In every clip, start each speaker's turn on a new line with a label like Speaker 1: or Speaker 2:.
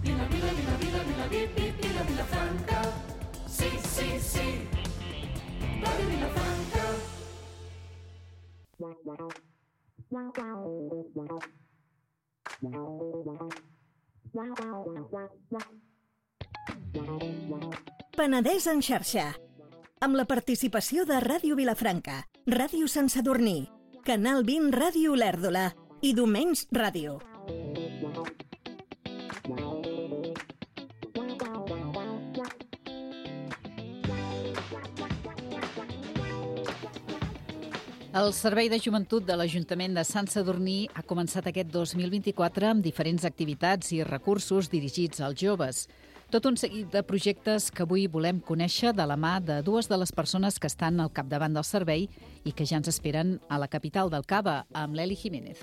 Speaker 1: Vila, vila, vila, vila, vila, vila, Vilafranca. Sí, sí, sí. Ràdio Vilafranca.
Speaker 2: Penedès en xarxa. Amb la participació de Ràdio Vilafranca, Ràdio Sant Sadurní, Canal 20 Ràdio Olèrdola i Domenys Ràdio.
Speaker 3: El Servei de Joventut de l'Ajuntament de Sant Sadurní ha començat aquest 2024 amb diferents activitats i recursos dirigits als joves. Tot un seguit de projectes que avui volem conèixer de la mà de dues de les persones que estan al capdavant del servei i que ja ens esperen a la capital del Cava, amb l'Eli Jiménez.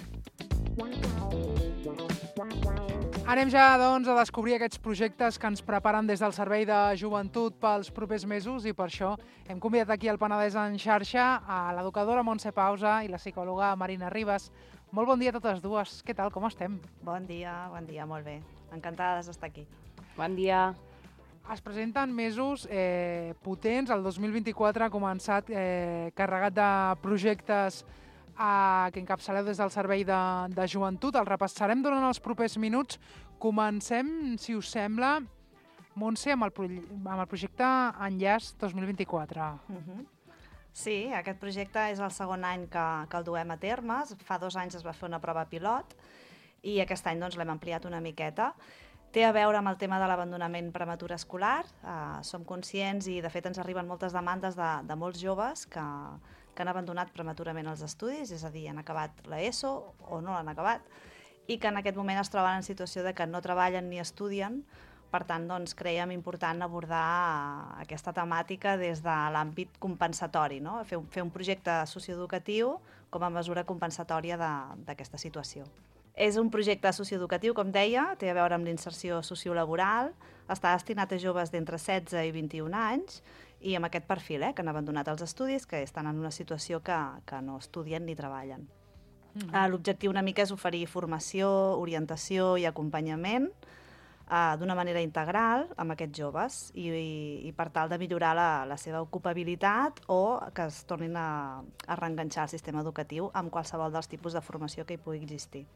Speaker 4: Anem ja, doncs, a descobrir aquests projectes que ens preparen des del Servei de Joventut pels propers mesos i per això hem convidat aquí al Penedès en xarxa a l'educadora Montse Pausa i la psicòloga Marina Ribas. Molt bon dia a totes dues. Què tal, com estem?
Speaker 5: Bon dia, molt bé. Encantades d'estar aquí.
Speaker 6: Bon dia.
Speaker 4: Es presenten mesos potents. El 2024 ha començat carregat de projectes que encapçaleu des del Servei de Joventut. El repassarem durant els propers minuts. Comencem, si us sembla, Montse, amb el projecte Enllaç 2024.
Speaker 5: Sí, aquest projecte és el segon any que el duem a terme. Fa 2 anys es va fer una prova pilot i aquest any l'hem ampliat una miqueta. Té a veure amb el tema de l'abandonament prematur escolar. Som conscients i, de fet, ens arriben moltes demandes de molts joves que han abandonat prematurament els estudis, és a dir, han acabat l'ESO o no l'han acabat, i que en aquest moment es troben en situació de que no treballen ni estudien. Per tant, creiem important abordar aquesta temàtica des de l'àmbit compensatori, no? Fer un projecte socioeducatiu com a mesura compensatòria d'aquesta situació. És un projecte socioeducatiu, com deia, té a veure amb l'inserció sociolaboral, està destinat a joves d'entre 16 i 21 anys i amb aquest perfil, que han abandonat els estudis, que estan en una situació que no estudien ni treballen. L'objectiu una mica és oferir formació, orientació i acompanyament d'una manera integral amb aquests joves i per tal de millorar la seva ocupabilitat o que es tornin a reenganxar al sistema educatiu amb qualsevol dels tipus de formació que hi pugui existir.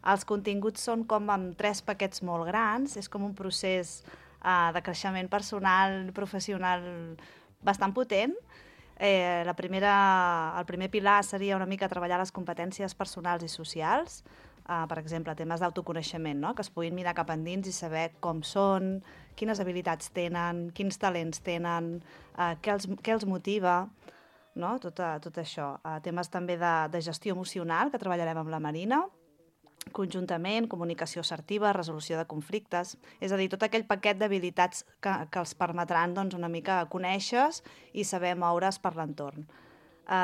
Speaker 5: Els continguts són com amb 3 paquets molt grans, és com un procés de creixement personal i professional bastant potent. El primer pilar seria una mica treballar les competències personals i socials, per exemple, temes d'autoconeixement, no? Que es puguin mirar cap endins i saber com són, quines habilitats tenen, quins talents tenen, què els motiva, no? Tot això. Temes també de gestió emocional, que treballarem amb la Marina, conjuntament, comunicació assertiva, resolució de conflictes, és a dir, tot aquell paquet d'habilitats que els permetran una mica conèixer i saber moure's per l'entorn.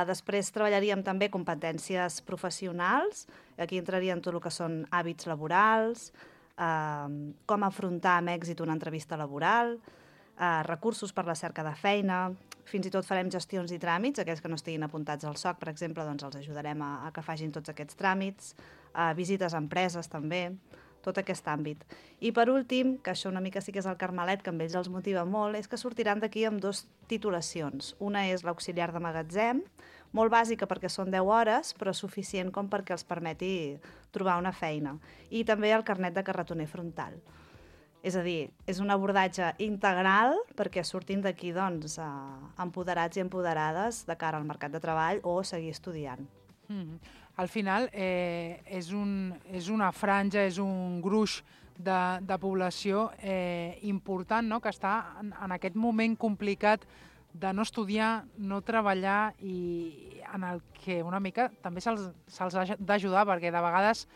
Speaker 5: Després treballaríem també competències professionals, aquí entrarien tot el que són hàbits laborals, com afrontar amb èxit una entrevista laboral, recursos per la cerca de feina, fins i tot farem gestions i tràmits, aquells que no estiguin apuntats al SOC, per exemple, els ajudarem a que facin tots aquests tràmits, visites a empreses també, tot aquest àmbit. I per últim, que això una mica sí que és el carmelet, que amb ells els motiva molt, és que sortiran d'aquí amb 2 titulacions. Una és l'auxiliar de magatzem, molt bàsica perquè són 10 hores, però suficient com perquè els permeti trobar una feina. I també el carnet de carretoner frontal. És a dir, és un abordatge integral perquè surtin d'aquí empoderats i empoderades de cara al mercat de treball o seguir estudiant.
Speaker 4: Al final és una franja, és un gruix de població important, no? Que està en aquest moment complicat de no estudiar, no treballar i en el que una mica també se'ls ha d'ajudar perquè de vegades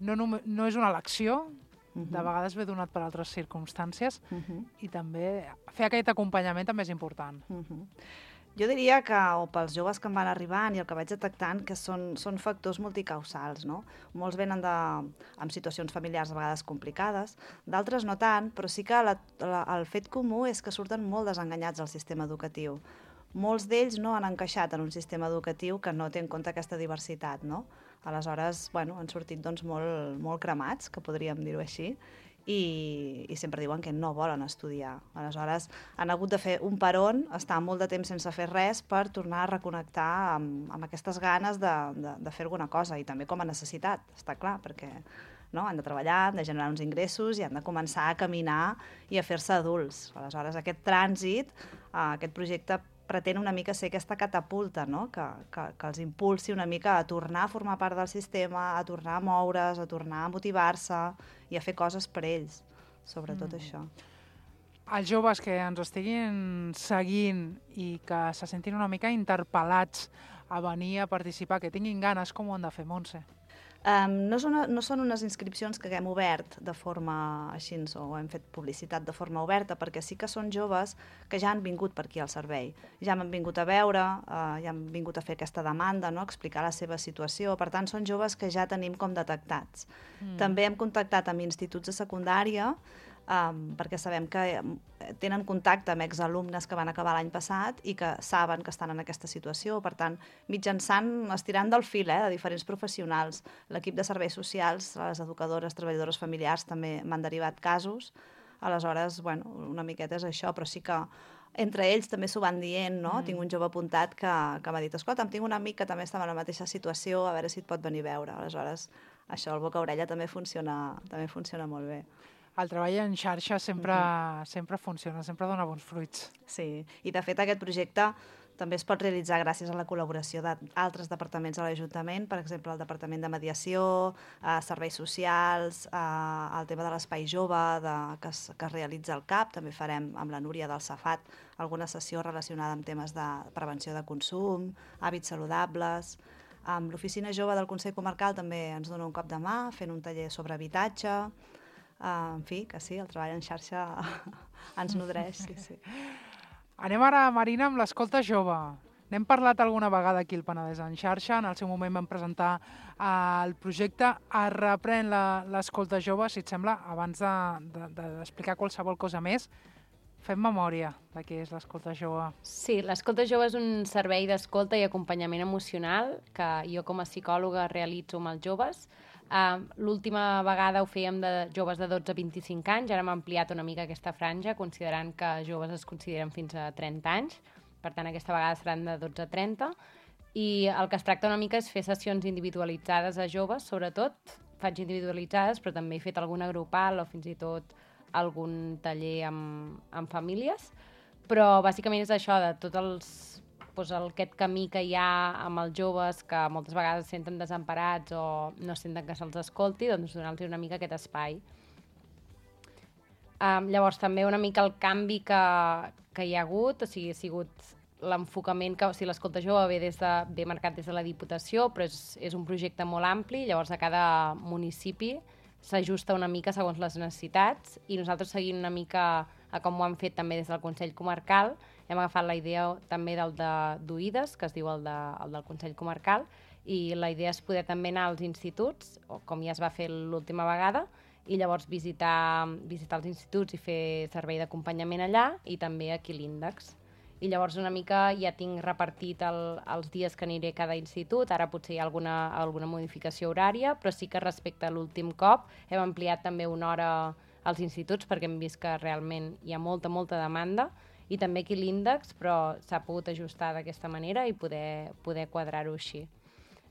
Speaker 4: no és una elecció, de vegades ve donat per altres circumstàncies i també fer aquest acompanyament també és important.
Speaker 5: Jo diria que, o pels joves que em van arribant i el que vaig detectant, que són factors multicausals, no? Molts venen amb situacions familiars a vegades complicades, d'altres no tant, però sí que el fet comú és que surten molt desenganyats del sistema educatiu. Molts d'ells no han encaixat en un sistema educatiu que no té en compte aquesta diversitat, no? Aleshores, han sortit molt cremats, que podríem dir-ho així, i sempre diuen que no volen estudiar. Aleshores, han hagut de fer un peron, estar molt de temps sense fer res per tornar a reconnectar amb aquestes ganes de fer alguna cosa, i també com a necessitat, està clar, perquè no? Han de treballar, han de generar uns ingressos i han de començar a caminar i a fer-se adults. Aleshores, aquest trànsit, aquest projecte pretén una mica ser aquesta catapulta, no? que els impulsi una mica a tornar a formar part del sistema, a tornar a moure's, a tornar a motivar-se i a fer coses per ells, sobretot això.
Speaker 4: Els joves que ens estiguin seguint i que se sentin una mica interpel·lats a venir a participar, que tinguin ganes, com ho han de fer, Montse?
Speaker 5: No són unes inscripcions que haguem obert de forma així, o hem fet publicitat de forma oberta, perquè sí que són joves que ja han vingut per aquí al servei. Ja m'han vingut a veure, ja han vingut a fer aquesta demanda, no? Explicar la seva situació. Per tant, són joves que ja tenim com detectats. També hem contactat amb instituts de secundària, perquè sabem que tenen contacte amb exalumnes que van acabar l'any passat i que saben que estan en aquesta situació. Per tant, mitjançant, estirant del fil de diferents professionals, l'equip de serveis socials, les educadores, treballadores familiars també m'han derivat casos. Aleshores, bueno, una miqueta és això, però sí que entre ells també s'ho van dient, no? Tinc un jove apuntat que m'ha dit, escolta, tinc un amic que també estava en la mateixa situació, a veure si et pot venir a veure. Aleshores, això, el boca-orella també funciona molt bé.
Speaker 4: El treball en xarxa sempre funciona, sempre dona bons fruits.
Speaker 5: Sí, i de fet aquest projecte també es pot realitzar gràcies a la col·laboració d'altres departaments de l'Ajuntament, per exemple, el Departament de Mediació, Serveis Socials, el tema de l'Espai Jove que es realitza al CAP, també farem amb la Núria del Safat alguna sessió relacionada amb temes de prevenció de consum, hàbits saludables. Amb l'Oficina Jove del Consell Comarcal també ens dona un cop de mà fent un taller sobre habitatge. En fi, que sí, el treball en xarxa ens nodreix, sí.
Speaker 4: Anem ara, Marina, amb l'escolta jove. N'hem parlat alguna vegada aquí al Penedès en xarxa, en el seu moment vam presentar el projecte. Es reprèn l'escolta jove, si et sembla, abans d'explicar qualsevol cosa més. Fem memòria de què és l'escolta jove.
Speaker 6: Sí, l'escolta jove és un servei d'escolta i acompanyament emocional que jo com a psicòloga realitzo amb els joves. L'última vegada ho fèiem de joves de 12 a 25 anys, ara hem ampliat una mica aquesta franja, considerant que joves es consideren fins a 30 anys, per tant aquesta vegada seran de 12 a 30, i el que es tracta una mica és fer sessions individualitzades a joves, sobretot, faig individualitzades, però també he fet alguna grupal o fins i tot algun taller amb famílies, però bàsicament és això, de tots aquest camí que hi ha amb els joves que moltes vegades es senten desemparats o no senten que se'ls escolti, doncs donar-los una mica aquest espai. Llavors també una mica el canvi que hi ha hagut, o sigui, ha sigut l'enfocament que, o sigui, l'escolta jove ve marcat des de la Diputació, però és un projecte molt ampli, llavors a cada municipi s'ajusta una mica segons les necessitats i nosaltres seguint una mica a com ho han fet també des del Consell Comarcal, hem agafat la idea també del d'Oïdes, que es diu el del Consell Comarcal, i la idea és poder també anar als instituts, com ja es va fer l'última vegada, i llavors visitar els instituts i fer servei d'acompanyament allà i també aquí l'índex. I llavors una mica ja tinc repartit els dies que aniré a cada institut, ara potser hi ha alguna modificació horària, però sí que respecte a l'últim cop hem ampliat també una hora als instituts perquè hem vist que realment hi ha molta demanda i també aquí l'índex, però s'ha pogut ajustar d'aquesta manera i poder quadrar-ho així.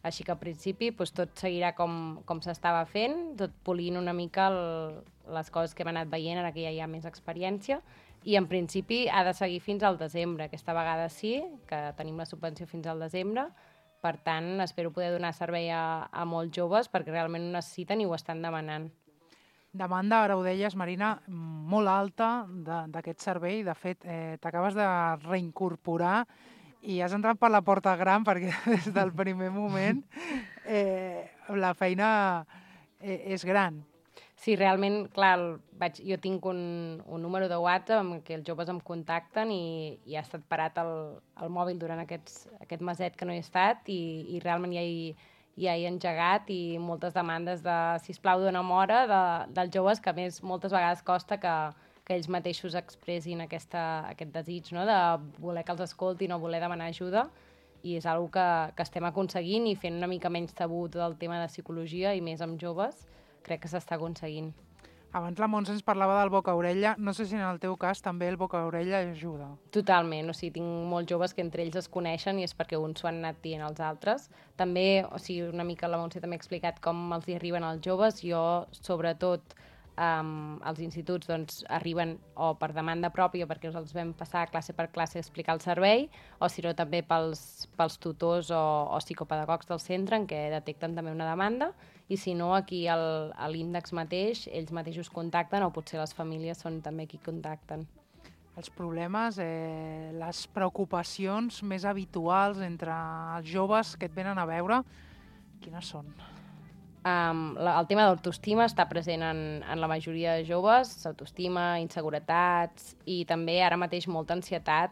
Speaker 6: Així que al principi tot seguirà com s'estava fent, tot polint una mica les coses que hem anat veient ara que ja hi ha més experiència i en principi ha de seguir fins al desembre. Aquesta vegada sí, que tenim la subvenció fins al desembre, per tant espero poder donar servei a molts joves perquè realment ho necessiten i ho estan demanant.
Speaker 4: Demanda, ara ho deies, Marina, molt alta d'aquest servei. De fet, t'acabes de reincorporar i has entrat per la porta gran perquè des del primer moment la feina és gran.
Speaker 6: Sí, realment, clar, jo tinc un número de WhatsApp amb què els joves em contacten i ha estat parat el mòbil durant aquest meset que no he estat i realment ja he engegat i moltes demandes de, sisplau, dona'm hora dels joves, que a més moltes vegades costa que ells mateixos expressin aquest desig, no?, de voler que els escoltin o voler demanar ajuda, i és una cosa que estem aconseguint i fent una mica menys tabú tot el tema de psicologia i més amb joves, crec que s'està aconseguint.
Speaker 4: Abans la Montse ens parlava del boca-orella. No sé si en el teu cas també el boca-orella ajuda.
Speaker 6: Totalment, o sigui, tinc molts joves que entre ells es coneixen i és perquè uns s'ho han anat dient als altres. També, o sigui, una mica la Montse també ha explicat com els hi arriben als joves. Jo, sobretot, als instituts doncs, arriben o per demanda pròpia, perquè els vam passar classe per classe a explicar el servei, o si no també pels tutors o psicopedagogs del centre, en què detecten també una demanda, i si no, aquí a l'índex mateix, ells mateixos contacten, o potser les famílies són també qui contacten.
Speaker 4: Els problemes, les preocupacions més habituals entre els joves que et venen a veure, quines són?
Speaker 6: El tema d'autoestima està present en la majoria de joves, autoestima, inseguretats i també ara mateix molta ansietat,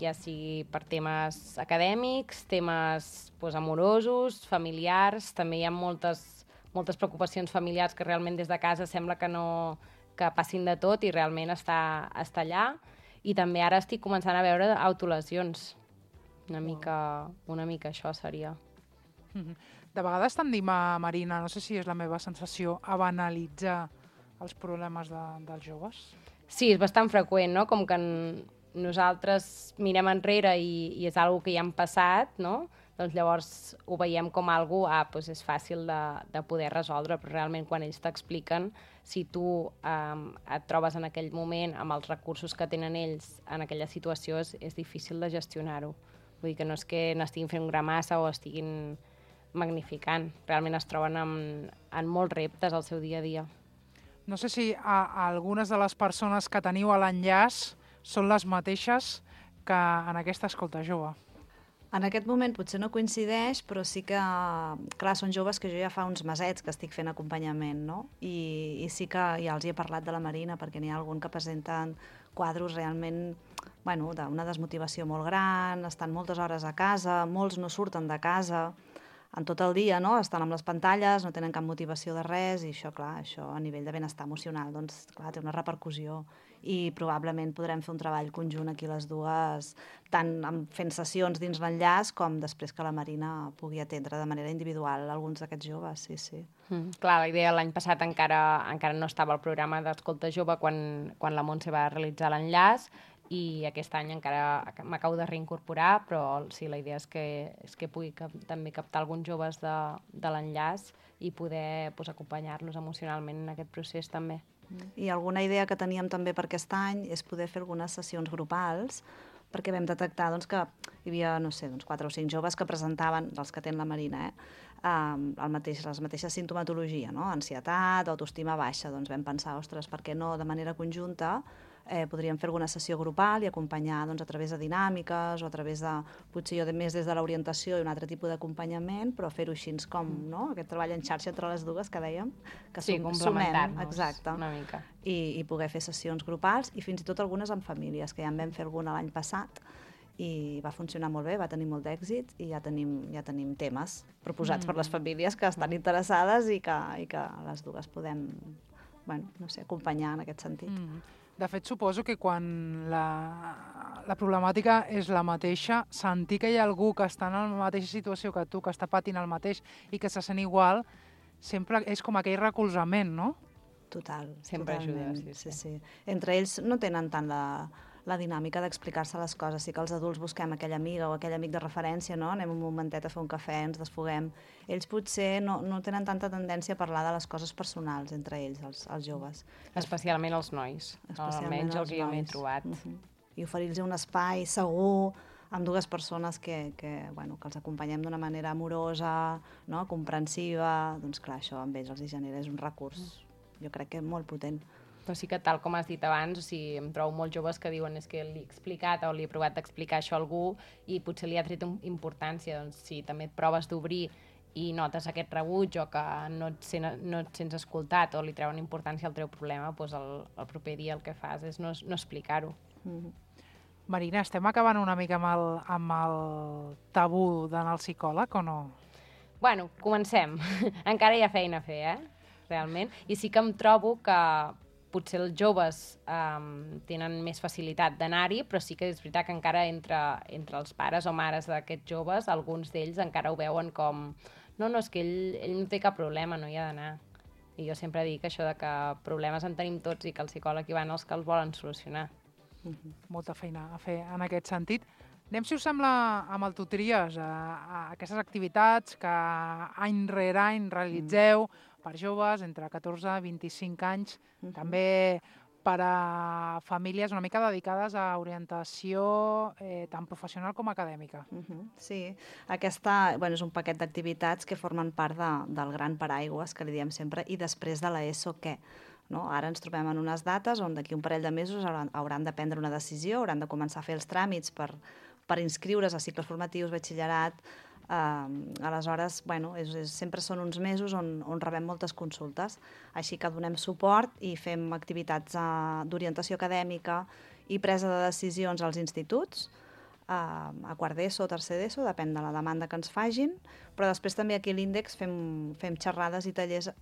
Speaker 6: ja sigui per temes acadèmics, temes amorosos, familiars, també hi ha moltes preocupacions familiars que realment des de casa sembla que passin de tot i realment està allà. I també ara estic començant a veure autolesions. Una mica això seria.
Speaker 4: De vegades tendim a, Marina, no sé si és la meva sensació, a banalitzar els problemes dels joves?
Speaker 6: Sí, és bastant freqüent, no? Com que nosaltres mirem enrere i és algo que ja han passat, no? Doncs llavors ho veiem com algo, doncs és fàcil de poder resoldre, però realment quan ells t'expliquen, si tu et trobes en aquell moment amb els recursos que tenen ells en aquella situació, és difícil de gestionar-ho. Vull dir que no és que n'estiguin fent gramassa o estiguin magnificant. Realment es troben en molts reptes al seu dia a dia.
Speaker 4: No sé si algunes de les persones que teniu a l'enllaç són les mateixes que en aquesta escolta jove.
Speaker 5: En aquest moment potser no coincideix, però sí que, clar, són joves que jo ja fa uns mesets que estic fent acompanyament, no? I sí que ja els hi he parlat de la Marina, perquè n'hi ha algun que presenten quadros realment, bueno, d'una desmotivació molt gran, estan moltes hores a casa, molts no surten de casa, en tot el dia, no? Estan amb les pantalles, no tenen cap motivació de res, i això, clar, això a nivell de benestar emocional, doncs, clar, té una repercussió. I probablement podrem fer un treball conjunt aquí les dues, tant fent sessions dins l'enllaç com després que la Marina pugui atendre de manera individual alguns d'aquests joves, sí, sí.
Speaker 6: Clar, la idea l'any passat encara no estava al programa d'Escolta Jove quan la Montse va realitzar l'enllaç, i aquest any encara m'acabo de reincorporar, però sí, la idea és que pugui també captar alguns joves de l'enllaç i poder acompanyar-los emocionalment en aquest procés també.
Speaker 5: I alguna idea que teníem també per aquest any és poder fer algunes sessions grupals, perquè vam detectar que hi havia, no sé, 4 o 5 joves que presentaven, dels que ten la Marina, la mateixa sintomatologia, no? Ansietat, autoestima baixa. Doncs vam pensar, ostres, per què no de manera conjunta podríem fer alguna sessió grupal i acompanyar a través de dinàmiques o a través de, potser jo més des de l'orientació i un altre tipus d'acompanyament, però fer-ho així com, no? Aquest treball en xarxa entre les dues que dèiem, que
Speaker 6: sí, complementar-nos
Speaker 5: exacte,
Speaker 6: una mica.
Speaker 5: I poder fer sessions grupals i fins i tot algunes amb famílies, que ja en vam fer alguna l'any passat i va funcionar molt bé, va tenir molt d'èxit i ja tenim temes proposats per les famílies que estan interessades i que les dues podem, bueno, no sé, acompanyar en aquest sentit.
Speaker 4: De fet, suposo que quan la problemàtica és la mateixa, sentir que hi ha algú que està en la mateixa situació que tu, que està patint el mateix i que se sent igual, sempre és com aquell recolzament, no?
Speaker 5: Total.
Speaker 6: Sempre ajuda,
Speaker 5: sí. Entre ells no tenen tant la dinàmica d'explicar-se les coses. Sí que els adults busquem aquella amiga o aquell amic de referència, no? Anem un momentet a fer un cafè, ens desfoguem. Ells potser no tenen tanta tendència a parlar de les coses personals entre ells, els joves.
Speaker 6: Especialment els nois, almenys el que jo m'he trobat.
Speaker 5: I oferir-los un espai segur amb dues persones que els acompanyem d'una manera amorosa, no? Comprensiva, doncs clar, això amb ells els genera, és un recurs, jo crec que molt potent.
Speaker 6: Però sí que, tal com has dit abans, o sigui, em trobo molts joves que diuen és que li he explicat o li he provat d'explicar això a algú i potser li ha tret importància. Doncs si també et proves d'obrir i notes aquest rebuig o que no et sents escoltat o li treuen importància al teu problema, doncs el proper dia el que fas és no explicar-ho.
Speaker 4: Marina, estem acabant una mica amb el tabú d'anar al psicòleg o no?
Speaker 6: Bueno, comencem. Encara hi ha feina a fer, realment. I sí que em trobo que potser els joves tenen més facilitat d'anar-hi, però sí que és veritat que encara entre els pares o mares d'aquests joves, alguns d'ells encara ho veuen com no, és que ell no té cap problema, no hi ha d'anar. I jo sempre dic això de que problemes en tenim tots i que el psicòleg hi van els que els volen solucionar.
Speaker 4: Molta feina a fer en aquest sentit. Anem, si us sembla, amb el Tu Tries, a aquestes activitats que any rere any realitzeu per joves entre 14 i 25 anys, també per a famílies una mica dedicades a orientació tant professional com acadèmica.
Speaker 5: Sí, és un paquet d'activitats que formen part del gran paraigües que li diem sempre, i després de l'ESO què? No? Ara ens trobem en unes dates on d'aquí un parell de mesos hauran de prendre una decisió, hauran de començar a fer els tràmits per inscriure's a cicles formatius, batxillerat. Aleshores, sempre són uns mesos on rebem moltes consultes, així que donem suport i fem activitats d'orientació acadèmica i presa de decisions als instituts, a quart d'ESO o tercer d'ESO, depèn de la demanda que ens fagin, però després també aquí a l'Índex fem xerrades i tallers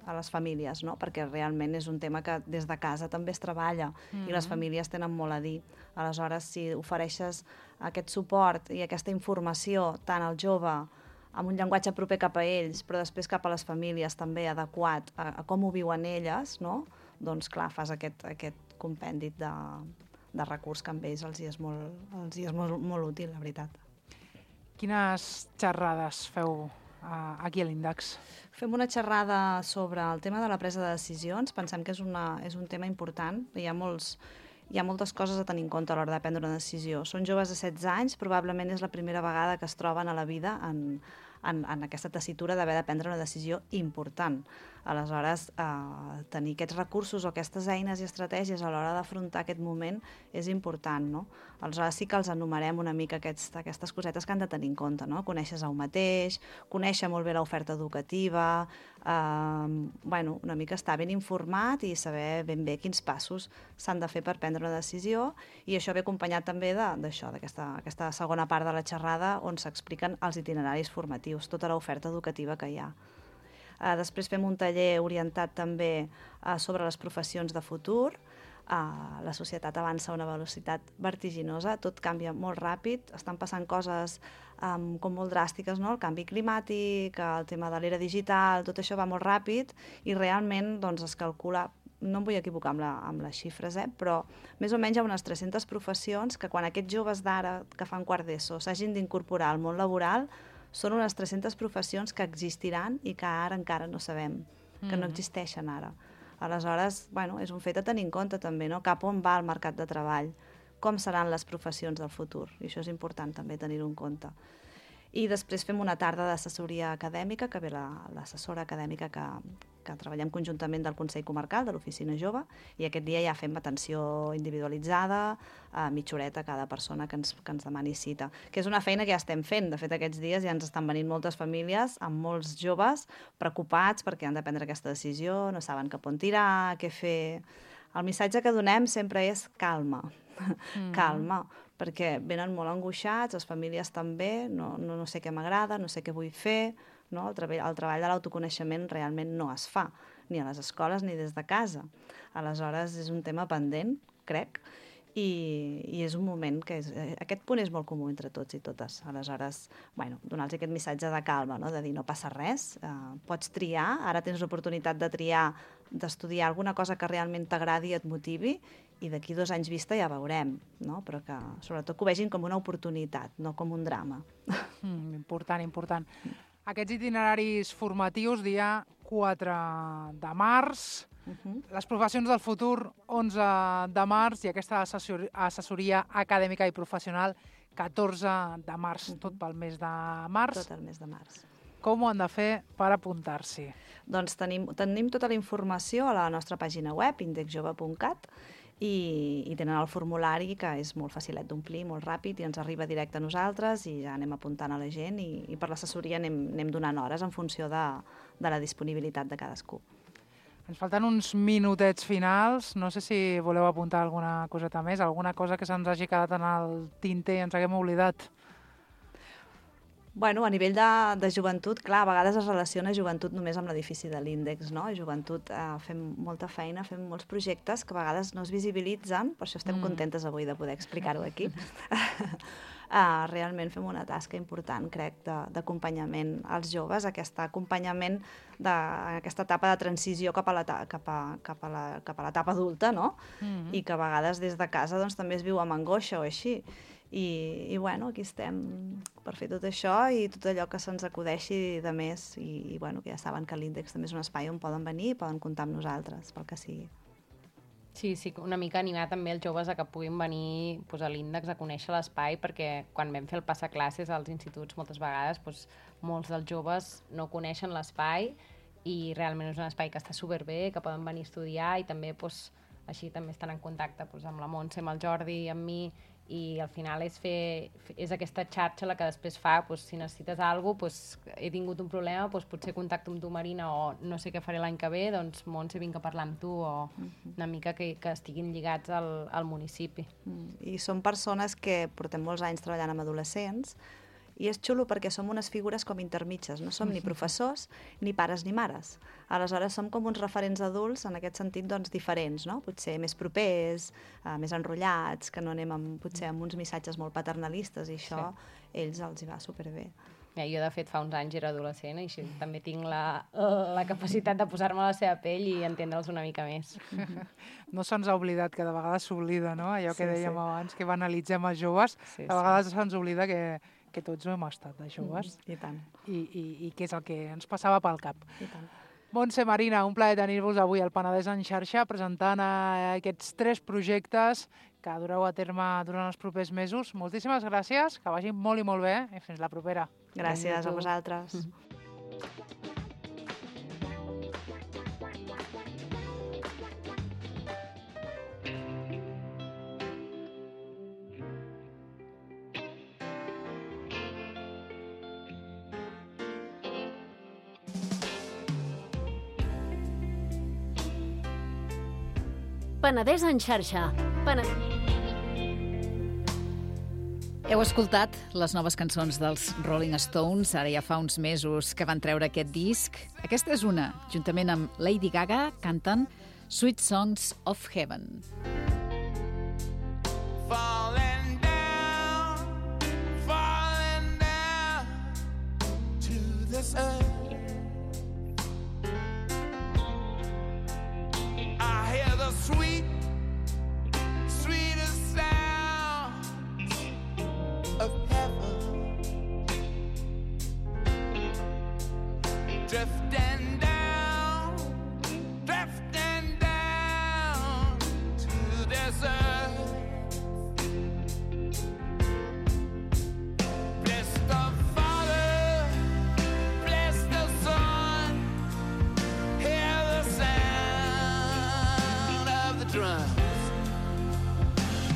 Speaker 5: a les famílies, no? Perquè realment és un tema que des de casa també es treballa i les famílies tenen molt a dir. Aleshores, si ofereixes aquest suport i aquesta informació tant al jove amb un llenguatge proper cap a ells, però després cap a les famílies també adequat a com ho viuen elles, no? Doncs clar, fas aquest compendi de recurs que amb ells els hi és molt útil, la veritat.
Speaker 4: Quines xerrades feu aquí a l'Índex?
Speaker 5: Fem una xerrada sobre el tema de la presa de decisions. Pensem que és un tema important. Hi ha moltes coses a tenir en compte a l'hora de prendre una decisió. Són joves de 16 anys, probablement és la primera vegada que es troben a la vida en aquesta tessitura d'haver de prendre una decisió important. Aleshores, tenir aquests recursos o aquestes eines i estratègies a l'hora d'afrontar aquest moment és important, no? Aleshores sí que els enumerem una mica aquestes cosetes que han de tenir en compte, no? Conèixer-se un mateix, conèixer molt bé l'oferta educativa, una mica estar ben informat i saber ben bé quins passos s'han de fer per prendre una decisió, i això ve acompanyat també d'aquesta segona part de la xerrada on s'expliquen els itineraris formatius, tota l'oferta educativa que hi ha. Després fem un taller orientat també sobre les professions de futur. La societat avança a una velocitat vertiginosa, tot canvia molt ràpid, estan passant coses com molt dràstiques, no? El canvi climàtic, el tema de l'era digital, tot això va molt ràpid i realment es calcula, no em vull equivocar amb les xifres, però més o menys hi ha unes 300 professions que quan aquests joves d'ara que fan quart d'ESO s'hagin d'incorporar al món laboral, són unes 300 professions que existiran i que ara encara no sabem, que no existeixen ara. Aleshores, és un fet a tenir en compte també, no? Cap on va el mercat de treball, com seran les professions del futur, i això és important també tenir-ho en compte. I després fem una tarda d'assessoria acadèmica, que ve l'assessora acadèmica que treballem conjuntament del Consell Comarcal, de l'Oficina Jove, i aquest dia ja fem atenció individualitzada, mitja horeta a cada persona que ens demani cita, que és una feina que ja estem fent. De fet, aquests dies ja ens estan venint moltes famílies amb molts joves preocupats perquè han de prendre aquesta decisió, no saben cap on tirar, què fer. El missatge que donem sempre és calma, calma, perquè venen molt angoixats, les famílies també, no sé què m'agrada, no sé què vull fer, no? El treball de l'autoconeixement realment no es fa, ni a les escoles ni des de casa. Aleshores, és un tema pendent, crec, i és un moment que aquest punt és molt comú entre tots i totes. Aleshores, donar-los aquest missatge de calma, no? De dir no passa res, pots triar, ara tens l'oportunitat de triar, d'estudiar alguna cosa que realment t'agradi i et motivi, i d'aquí 2 anys vista ja veurem, no? Però que sobretot que ho vegin com una oportunitat, no com un drama.
Speaker 4: Important. Aquests itineraris formatius, dia 4 de març, les professions del futur, 11 de març, i aquesta assessoria acadèmica i professional, 14 de març, tot pel mes de març.
Speaker 5: Tot el mes de març.
Speaker 4: Com ho han de fer per apuntar-s'hi?
Speaker 5: Doncs tenim tota la informació a la nostra pàgina web, indexjove.cat, i tenen el formulari, que és molt facilet d'omplir, molt ràpid, i ens arriba directe a nosaltres i ja anem apuntant a la gent, i per l'assessoria anem donant hores en funció de la disponibilitat de cadascú.
Speaker 4: Ens falten uns minutets finals. No sé si voleu apuntar alguna coseta més, alguna cosa que se'ns hagi quedat en el tinter i ens haguem oblidat.
Speaker 5: Bueno, a nivell de joventut, clar, a vegades es relaciona joventut només amb l'edifici de l'Índex, no? Joventut, fem molta feina, fem molts projectes que a vegades no es visibilitzen, per això estem contentes avui de poder explicar-ho aquí. Realment fem una tasca important, crec, d'acompanyament als joves, aquest acompanyament d'aquesta etapa de transició cap a l'etapa adulta, no? I que a vegades des de casa doncs, també es viu amb angoixa o així. I bueno, aquí estem per fer tot això i tot allò que se'ns acudeixi de més i bueno, que ja saben que l'Índex també és un espai on poden venir i poden comptar amb nosaltres, pel que sigui.
Speaker 6: Sí, una mica animar també els joves a que puguin venir a l'Índex a conèixer l'espai, perquè quan vam fer el passaclasses als instituts moltes vegades molts dels joves no coneixen l'espai i realment és un espai que està superbé, que poden venir a estudiar i també així també estan en contacte amb la Montse, amb el Jordi, amb mi, i al final és aquesta xarxa la que després fa, si necessites alguna cosa, he tingut un problema, potser contacto amb tu, Marina, o no sé què faré l'any que ve, doncs Montse, vinc a parlar amb tu, o una mica que estiguin lligats al municipi.
Speaker 5: I som persones que portem molts anys treballant amb adolescents, i és xulo perquè som unes figures com intermitges, no som ni professors, ni pares ni mares. Aleshores som com uns referents adults, en aquest sentit, doncs, diferents, no? Potser més propers, més enrotllats, que no anem potser amb uns missatges molt paternalistes, i això ells els hi va superbé.
Speaker 6: Jo, de fet, fa uns anys era adolescent, i així també tinc la capacitat de posar-me a la seva pell i entendre'ls una mica més.
Speaker 4: No se'ns ha oblidat, que de vegades s'oblida, no? Allò que dèiem abans, que banalitzem els joves, de vegades se'ns oblida que tots no hem estat de joves.
Speaker 5: I tant.
Speaker 4: I que és el que ens passava pel cap.
Speaker 5: I tant.
Speaker 4: Montse, Marina, un plaer tenir-vos avui al Penedès en xarxa presentant aquests 3 projectes que dureu a terme durant els propers mesos. Moltíssimes gràcies, que vagi molt i molt bé i fins la propera.
Speaker 5: Gràcies a vosaltres.
Speaker 7: Penedès en xarxa.
Speaker 3: Heu escoltat les noves cançons dels Rolling Stones, ara ja fa uns mesos que van treure aquest disc. Aquesta és una, juntament amb Lady Gaga, canten Sweet Songs of Heaven.
Speaker 8: Falling down to this earth. I hear the sweetest sound of heaven, drifting down to this earth. Bless the Father, bless the Son, hear the sound of the drums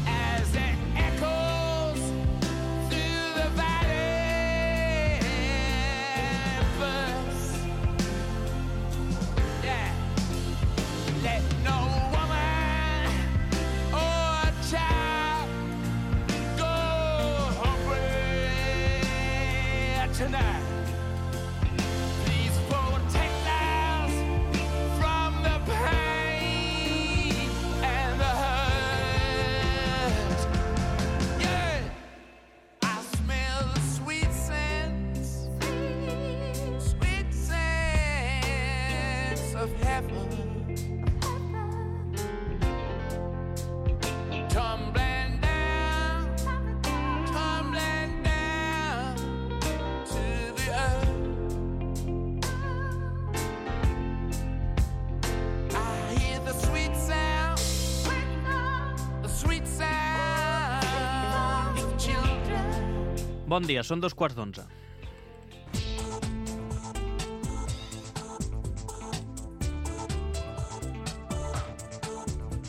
Speaker 8: as it echoes through the valley. First, let no woman or child go hungry tonight. Please protect us from the pain and the hurt. Yeah, I smell the sweet scents of heaven. Tumbling down to the earth. I hear the sweet sound of children.
Speaker 9: Bon dia, són 2:15.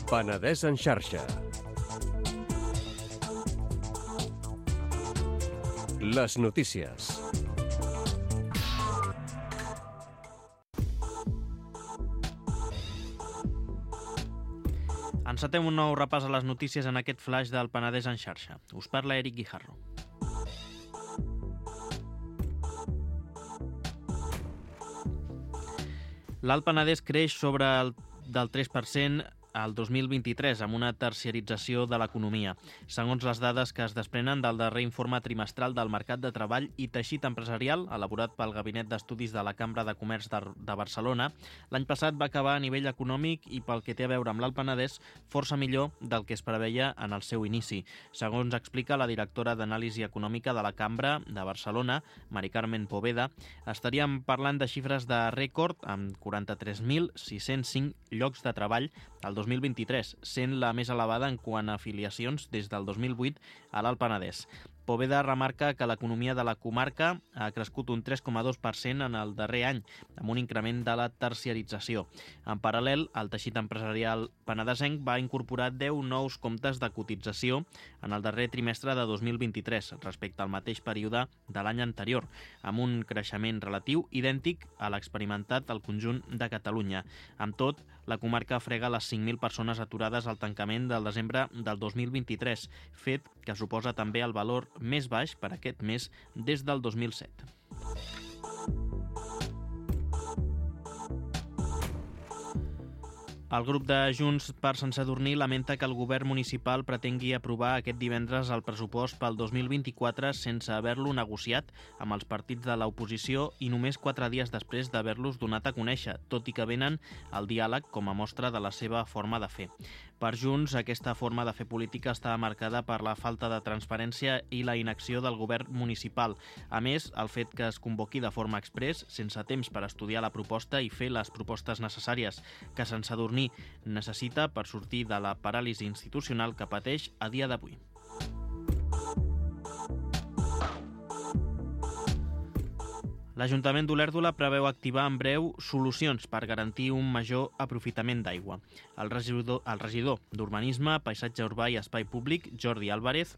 Speaker 10: Penedès en xarxa. Les notícies.
Speaker 9: Encetem un nou repàs a les notícies en aquest flash del Penedès en xarxa. Us parla Eric Guijarro. L'Alt Penedès creix del 3% al 2023, amb una terciarització de l'economia. Segons les dades que es desprenen del darrer informe trimestral del Mercat de Treball i Teixit Empresarial, elaborat pel Gabinet d'Estudis de la Cambra de Comerç de Barcelona, l'any passat va acabar a nivell econòmic i pel que té a veure amb l'Alt Penedès força millor del que es preveia en el seu inici. Segons explica la directora d'Anàlisi Econòmica de la Cambra de Barcelona, Mari Carmen Poveda, estaríem parlant de xifres de rècord amb 43.605 llocs de treball al 2023, sent la més elevada en quant a afiliacions des del 2008 a l'Alt Penedès. Poveda remarca que l'economia de la comarca ha crescut un 3,2% en el darrer any, amb un increment de la terciarització. En paral·lel, el teixit empresarial penedesenc va incorporar 10 nous comptes de cotització en el darrer trimestre de 2023, respecte al mateix període de l'any anterior, amb un creixement relatiu idèntic a l'experimentat al conjunt de Catalunya. Amb tot, la comarca frega les 5.000 persones aturades al tancament del desembre del 2023, fet que suposa també el valor més baix per aquest mes des del 2007. El grup de Junts per Sant Sadurní lamenta que el govern municipal pretengui aprovar aquest divendres el pressupost pel 2024 sense haver-lo negociat amb els partits de l'oposició i només 4 dies després d'haver-los donat a conèixer, tot i que venen el diàleg com a mostra de la seva forma de fer. Per Junts, aquesta forma de fer política està marcada per la falta de transparència i la inacció del govern municipal. A més, el fet que es convoqui de forma exprés, sense temps per estudiar la proposta i fer les propostes necessàries que Sant Sadurní necessita per sortir de la paràlisi institucional que pateix a dia d'avui. L'Ajuntament d'Olèrdola preveu activar en breu solucions per garantir un major aprofitament d'aigua. El regidor d'Urbanisme, Paisatge Urbà i Espai Públic, Jordi Álvarez,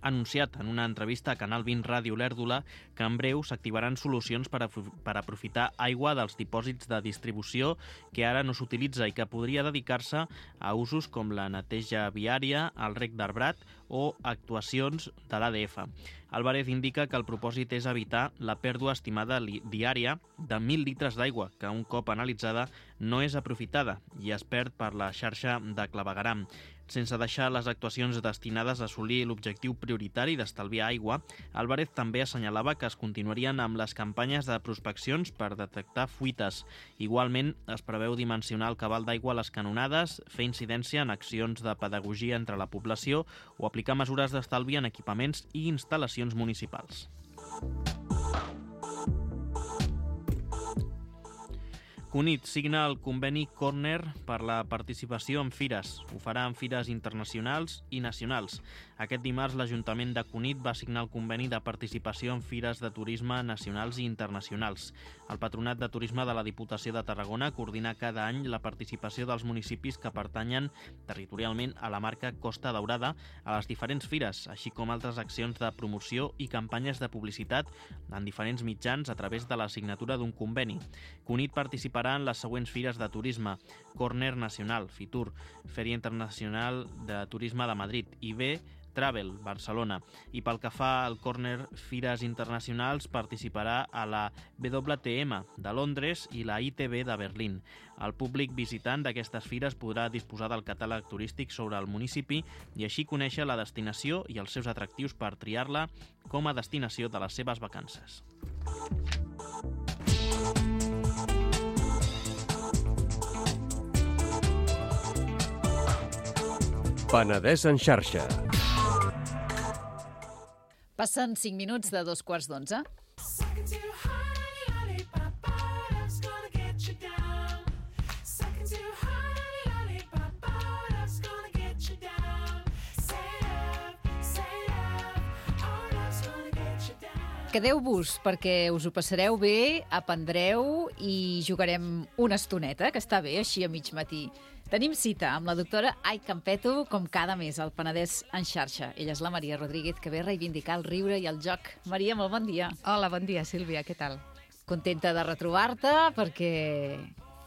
Speaker 9: ha anunciat en una entrevista a Canal 20 Ràdio Olèrdola que en breu s'activaran solucions per aprofitar aigua dels dipòsits de distribució que ara no s'utilitza i que podria dedicar-se a usos com la neteja viària, el rec d'arbrat o actuacions de l'ADF. Álvarez indica que el propòsit és evitar la pèrdua estimada diària de 1.000 litres d'aigua, que un cop analitzada no és aprofitada i es perd per la xarxa de clavegueram. Sense deixar les actuacions destinades a assolir l'objectiu prioritari d'estalviar aigua, Álvarez també assenyalava que es continuarien amb les campanyes de prospeccions per detectar fuites. Igualment, es preveu dimensionar el cabal d'aigua a les canonades, fer incidència en accions de pedagogia entre la població o aplicar mesures d'estalvi en equipaments i instal·lacions municipals. Cunit signa el conveni Corner per la participació en fires. Ho farà en fires internacionals i nacionals. Aquest dimarts l'Ajuntament de Cunit va signar el conveni de participació en fires de turisme nacionals i internacionals. El Patronat de Turisme de la Diputació de Tarragona coordina cada any la participació dels municipis que pertanyen territorialment a la marca Costa Daurada a les diferents fires, així com altres accions de promoció i campanyes de publicitat en diferents mitjans a través de la signatura d'un conveni. Cunit participarà en les següents fires de turisme: Corner Nacional, Fitur, Fèria Internacional de Turisme de Madrid, IB, Travel, Barcelona. I pel que fa al Corner Fires Internacionals, participarà a la WTM de Londres i la ITB de Berlín. El públic visitant d'aquestes fires podrà disposar del catàleg turístic sobre el municipi i així conèixer la destinació i els seus atractius per triar-la com a destinació de les seves vacances.
Speaker 10: Penedès en xarxa.
Speaker 3: Passen 5 minuts de 2:15. Quedeu-vos perquè us ho passareu bé, aprendreu i jugarem una estoneta, que està bé, així a mig matí. Tenim cita amb la doctora Ai Campeto, com cada mes, al Penedès en xarxa. Ella és la Maria Rodríguez, que ve a reivindicar el riure i el joc. Maria, molt bon dia.
Speaker 11: Hola, bon dia, Sílvia, què tal?
Speaker 3: Contenta de retrobar-te, perquè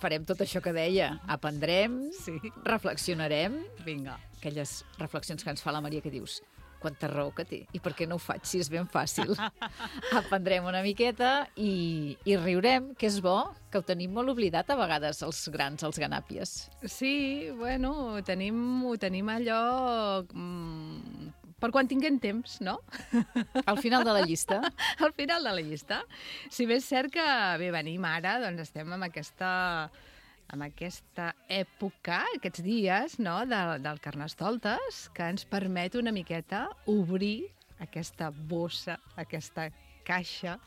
Speaker 3: farem tot això que deia. Aprendrem,
Speaker 11: Sí.
Speaker 3: reflexionarem.
Speaker 11: Vinga.
Speaker 3: Aquelles reflexions que ens fa la Maria, que dius: quanta raó que té. I per què no ho faig si és ben fàcil? Aprendrem una miqueta i riurem, que és bo, que ho tenim molt oblidat a vegades els grans, els ganàpies.
Speaker 11: Sí, bueno, ho tenim allò... per quan tinguem temps, no?
Speaker 3: Al final de la llista.
Speaker 11: Al final de la llista. Si bé és cert que bé, venim ara, doncs estem amb aquesta època, aquests dies, no?, del Carnestoltes, que ens permet una miqueta obrir aquesta bossa, aquesta caixa,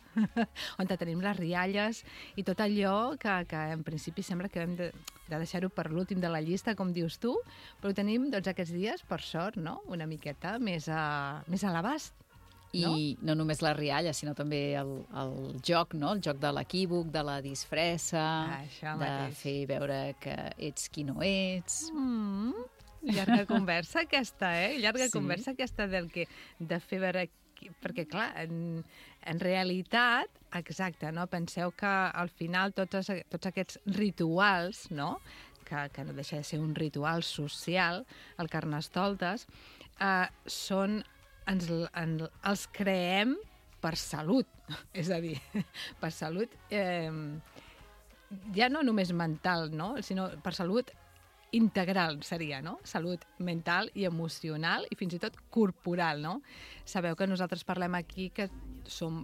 Speaker 11: on tenim les rialles i tot allò que en principi sembla que hem de deixar-ho per l'últim de la llista, com dius tu, però ho tenim doncs, aquests dies, per sort, no?, una miqueta més a l'abast.
Speaker 3: I no només la rialla, sinó també el joc, no? El joc de l'equívoc, de la disfressa, de fer veure que ets qui no ets.
Speaker 11: Llarga conversa aquesta, Llarga conversa aquesta de fer veure... Perquè, clar, en realitat, exacte, no? Penseu que al final tots aquests rituals, no?, que no deixa de ser un ritual social, el Carnestoltes, els creem per salut. És a dir, per salut ja no només mental, no?, sinó per salut integral seria, no? Salut mental i emocional i fins i tot corporal, no? Sabeu que nosaltres parlem aquí que som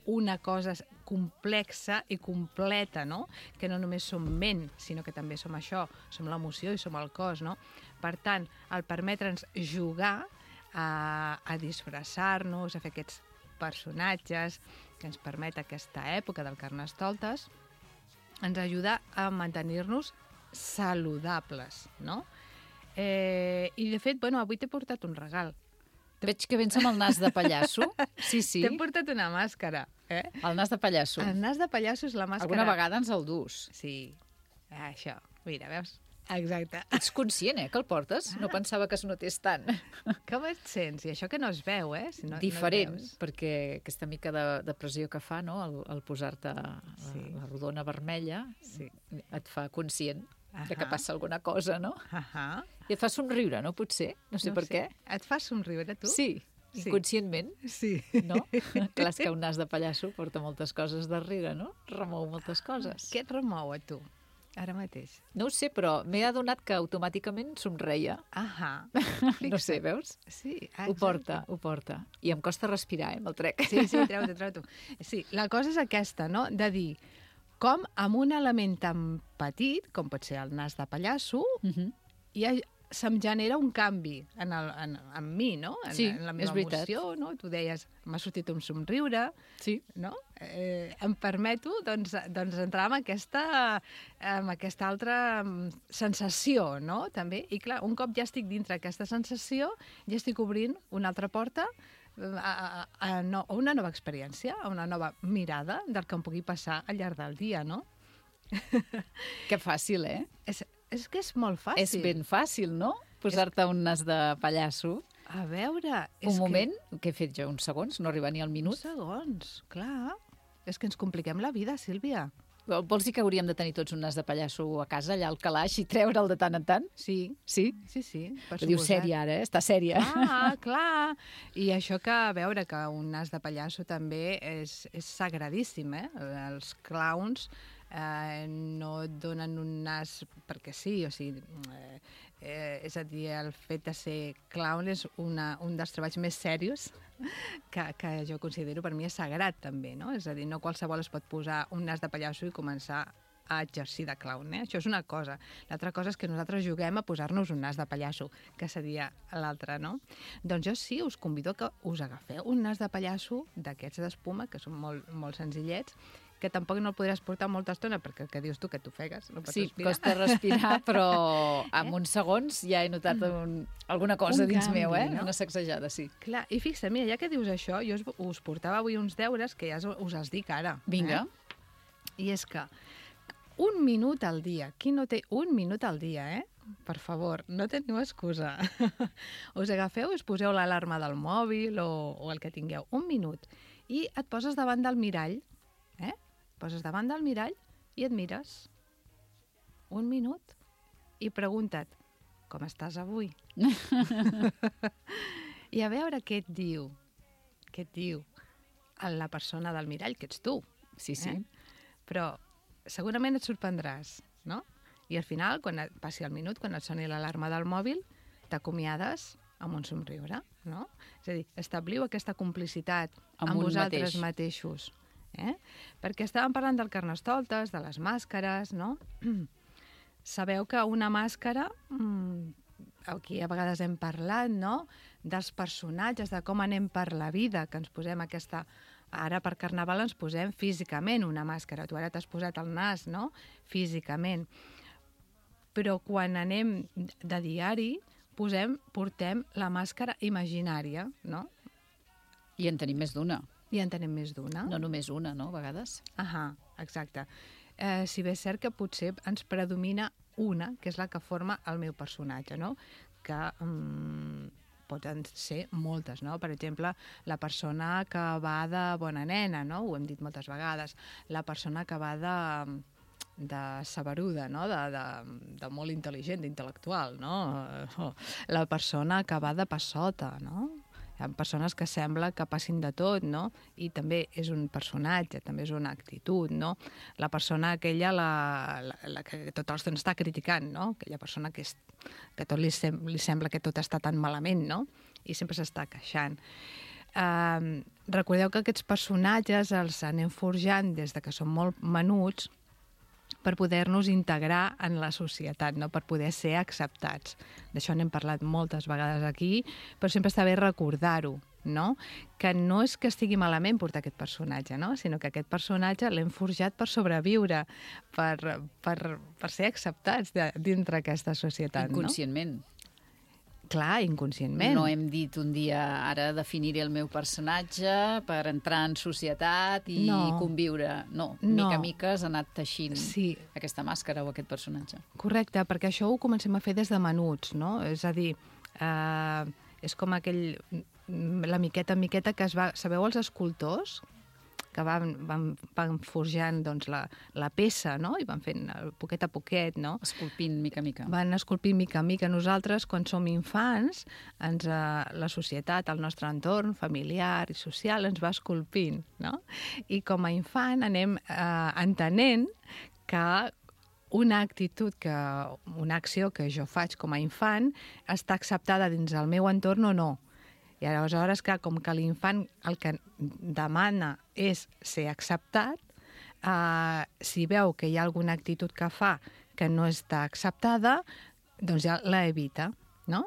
Speaker 11: una cosa complexa i completa, no? Que no només som ment, sinó que també som això, som l'emoció i som el cos, no? Per tant, el permetre'ns jugar a disfressar-nos, a fer aquests personatges que ens permet aquesta època del Carnestoltes, ens ajuda a mantenir-nos saludables, no? I, de fet, bueno, avui t'he portat un regal.
Speaker 3: Veig que vens amb el nas de pallasso. Sí.
Speaker 11: T'he portat una màscara,
Speaker 3: El nas de pallasso.
Speaker 11: El nas de pallasso és la màscara...
Speaker 3: Alguna vegada ens el dus.
Speaker 11: Sí, això. Mira, veus? Exacte.
Speaker 3: Ets conscient, que el portes? No pensava que es notés tant.
Speaker 11: Com et sents? I això que no es veu, Si no,
Speaker 3: diferent,
Speaker 11: no
Speaker 3: perquè aquesta mica de pressió que fa, no?, el posar-te la rodona vermella, et fa conscient de que passa alguna cosa, no? I et fa somriure, no, potser? No sé per què.
Speaker 11: Et fa somriure, tu?
Speaker 3: Sí, inconscientment.
Speaker 11: Sí.
Speaker 3: No? Clar, és que un nas de pallasso porta moltes coses darrere, no? Remou moltes coses.
Speaker 11: Què et remou a tu, ara mateix?
Speaker 3: No ho sé, però m'he adonat que automàticament somreia. No sé, veus?
Speaker 11: Sí.
Speaker 3: Ho porta. I em costa respirar, me'l trec.
Speaker 11: Sí, treu-t'ho. Sí, la cosa és aquesta, no?, de dir com amb un element tan petit, com pot ser el nas de pallasso, se'm genera un canvi en mi, no? En la meva emoció, no? Tu deies, m'ha sortit un somriure, no? Em permeto, doncs entrar en aquesta altra sensació, no? També. I clar, un cop ja estic dintre aquesta sensació, ja estic obrint una altra porta a una nova experiència, a una nova mirada del que em pugui passar al llarg del dia, no?
Speaker 3: Que fàcil,
Speaker 11: És que és molt fàcil.
Speaker 3: És ben fàcil, no? Posar-te un nas de pallasso.
Speaker 11: A veure...
Speaker 3: Un moment, que he fet jo uns segons, no arriba ni al minut.
Speaker 11: Uns segons, clar. És que ens compliquem la vida, Sílvia.
Speaker 3: Vols dir que hauríem de tenir tots un nas de pallasso a casa, allà al calaix, i treure'l de tant en tant?
Speaker 11: Sí.
Speaker 3: Sí?
Speaker 11: Sí, per
Speaker 3: diu sèria, ara, Està sèria.
Speaker 11: Clar. I això que, a veure, que un nas de pallasso també és sagradíssim, Els clowns no et donen un nas perquè sí, o sigui... és a dir, el fet de ser clown és un dels treballs més serios que jo considero, per mi, és sagrat, també, no? És a dir, no qualsevol es pot posar un nas de pallasso i començar a exercir de clown, Això és una cosa. L'altra cosa és que nosaltres juguem a posar-nos un nas de pallasso, que seria l'altra, no? Doncs jo sí, us convido que us agafeu un nas de pallasso d'aquests d'espuma, que són molt, molt senzillets, que tampoc no el podràs portar molta estona, perquè que dius tu que t'ofegues, no pots respirar.
Speaker 3: Costa respirar, però en uns segons ja he notat alguna cosa dins meu,
Speaker 11: no?
Speaker 3: Una sacsejada, sí.
Speaker 11: Clar, i fixa, mira, ja que dius això, jo us portava avui uns deures que ja us els dic ara.
Speaker 3: Vinga.
Speaker 11: I és que un minut al dia, qui no té un minut al dia, Per favor, no teniu excusa. Us agafeu i us poseu l'alarma del mòbil o el que tingueu, un minut, i et poses davant del mirall, poses davant del mirall i et mires un minut i pregunta't com estàs avui? I a veure què et diu la persona del mirall, que ets tu.
Speaker 3: Sí.
Speaker 11: Però segurament et sorprendràs, no? I al final, quan passi el minut, quan et soni l'alarma del mòbil, t'acomiades amb un somriure, no? És a dir, establiu aquesta complicitat amb vosaltres mateixos. Perquè estàvem parlant del carnestoltes, de les màscares, no? Sabeu que una màscara, aquí a vegades hem parlat, no?, dels personatges, de com anem per la vida, que ens posem aquesta... Ara per Carnaval ens posem físicament una màscara. Tu ara t'has posat el nas, no?, físicament. Però quan anem de diari, portem la màscara imaginària, no?
Speaker 3: I en tenim més d'una.
Speaker 11: I en tenim més d'una.
Speaker 3: No només una, no?, a vegades.
Speaker 11: Exacte. Si bé és cert que potser ens predomina una, que és la que forma el meu personatge, no? Que poden ser moltes, no? Per exemple, la persona que va de bona nena, no? Ho hem dit moltes vegades. La persona que va de saberuda, no? De molt intel·ligent, d'intel·lectual, no? La persona que va de passota, no? Hi ha persones que sembla que passin de tot, no? I també és un personatge, també és una actitud, no? La persona aquella, la que tot l'estona està criticant, no? Aquella persona que tot li sembla que tot està tan malament, no? I sempre s'està queixant. Recordeu que aquests personatges els anem forjant des de que són molt menuts per poder-nos integrar en la societat, no? Per poder ser acceptats. D'això n'hem parlat moltes vegades aquí, però sempre està bé recordar-ho, no? Que no és que estigui malament portar aquest personatge, no? Sinó que aquest personatge l'hem forjat per sobreviure, per ser acceptats dintre aquesta societat, no?
Speaker 3: Inconscientment.
Speaker 11: Clar, inconscientment.
Speaker 3: No hem dit un dia, ara definiré el meu personatge per entrar en societat i conviure. No, mica a mica has anat teixint aquesta màscara o aquest personatge.
Speaker 11: Correcte, perquè això ho comencem a fer des de menuts, no? És a dir, és com la miqueta en miqueta que es va... Sabeu els escultors? Que van forjant doncs, la peça, no? I van fent poquet a poquet, no?
Speaker 3: Esculpint mica a mica.
Speaker 11: Van esculpint mica a mica. Nosaltres, quan som infants, la societat, el nostre entorn familiar i social ens va esculpint, no? I com a infant anem entenent que una actitud, una acció que jo faig com a infant està acceptada dins el meu entorn o no. I aleshores, clar, com que l'infant el que demana és ser acceptat, si veu que hi ha alguna actitud que fa que no està acceptada, doncs ja la evita, no?